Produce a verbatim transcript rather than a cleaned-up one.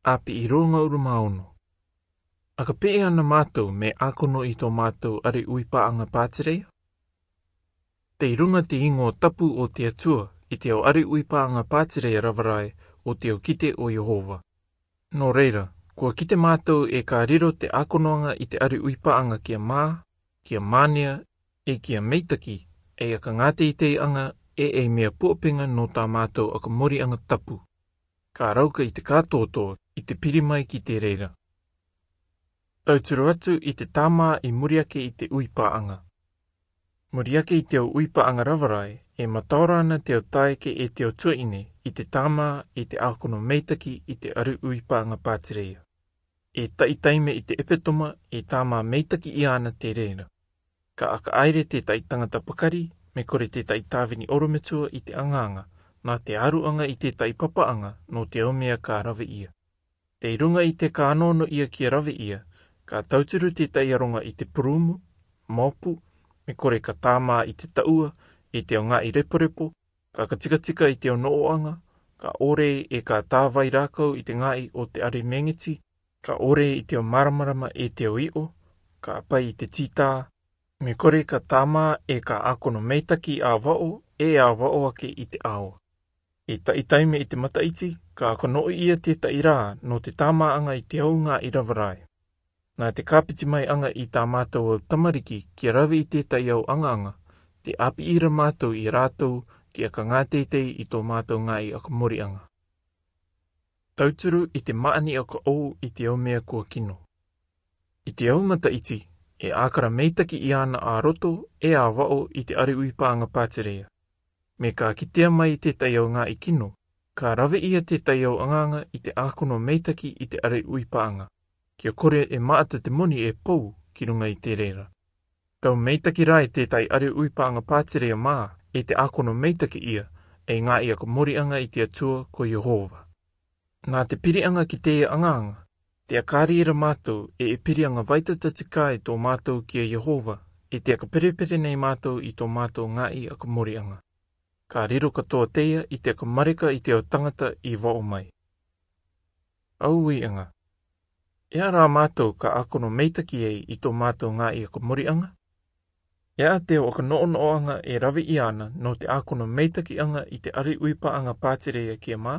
Api i ronga uruma ono. A ka pe'e ana mātou me ākono i tō mātou ari uipā'aŋa pātireia? Tei runga te īŋoa tapu o te Atua i te ao ari uipā'aŋa pātireia rava rae o te ao kite o Iehova. Nō reira, kua kite mātou e ka riro te ākonoaŋa i te ari uipā'aŋa kia mā, kia mānia, e kia meitaki, e a ka ngāteitei'aŋa, e e mea puapenga nō tā mātou a ka mori'aŋa tapu. Ka rauka i te kātōtō i te piri mai ki te reira. Tauturu atu i te tāmā i muri ake i te uipā'aŋa. Muri ake i te ao uipā'aŋa rava rae, e mataora ana te ao taeke e te ao tua'ine i te tāmā i te ākono meitaki i te ari uipā'aŋa pātireia. E ta'i taime i te epetoma e tāmā meitaki i ana te reira. Ka aka aire te ta'i tangata pakari, me kore te ta'i tāvini orometua i te aŋaŋa, nā te aru'aŋa i te ta'i papa'aŋa nō te ao mea ka rave ia. Tei runga i te ka anono ia kia rave ia, ka tauturu te ta'i aronga i te purumu, mopu, me kore ka tāmā i te ta'ua, i te ao ngā'i reporepo, ka ka tikatika i te ao no'o'aŋa, ka ore e ka tāvai rākau i te ngā'i o te ari mengeti, ka ore i te ao māramarama e te ao i'o, ka pai i te tītā, me kore ka tāmā e ka ākono meitaki ā va'o, e ā va'o ake i te ao. E ta'i taime i te mata'iti, ka aka no'o ia te ta'i rā nō te tāmā'aŋa i te ao ngā'i rava rae. Nā te ka piti mai aŋa i tā mātou ao tamariki kia rave i te ta'i ao aŋaŋa, te api ira mātou i rātou kia ka ngāteitei i tō mātou ngā'i a ka mori'aŋa. Tauturu i te mā'ani a ka ou i te ao mea kua kino. I te ao mata'iti, e ākara meitaki i ana ā roto, e ā va'o i te ari uipā'aŋa pātireia. Me ka kitea mai i te ta'i ao ngā'i kino, ka rave ia te ta'i ao aŋaŋa i te ākono meitaki i te ari uipā'aŋa. Kia kore e ma'ata te moni e pou ki runga i te reira. Tau meitaki rā i te ta'i ari uipā'aŋa pātireia mā, e te ākono meitaki ia, e ngā'i a ka mori'aŋa i te Atua ko Iehova. Nā te piri'aŋa ki te aŋaŋa, te aka rira mātou e e piri'aŋa vaitata tika i tō mātou kia Iehova, e te aka perepere nei mātou i tō mātou ngā'i a ka mori'aŋa. Ka riro katoa teia i te aka mareka i te ao tangata i va'o mai. Au ui'aŋa. E a rā mātou ka ākono meitaki ei i tō mātou ngā'i a ka mori'aŋa? E a te ao a ka no'ono'o'aŋa e rave i ana nō te ākono meitaki'aŋa i te ari uipā'aŋa pātireia kia mā?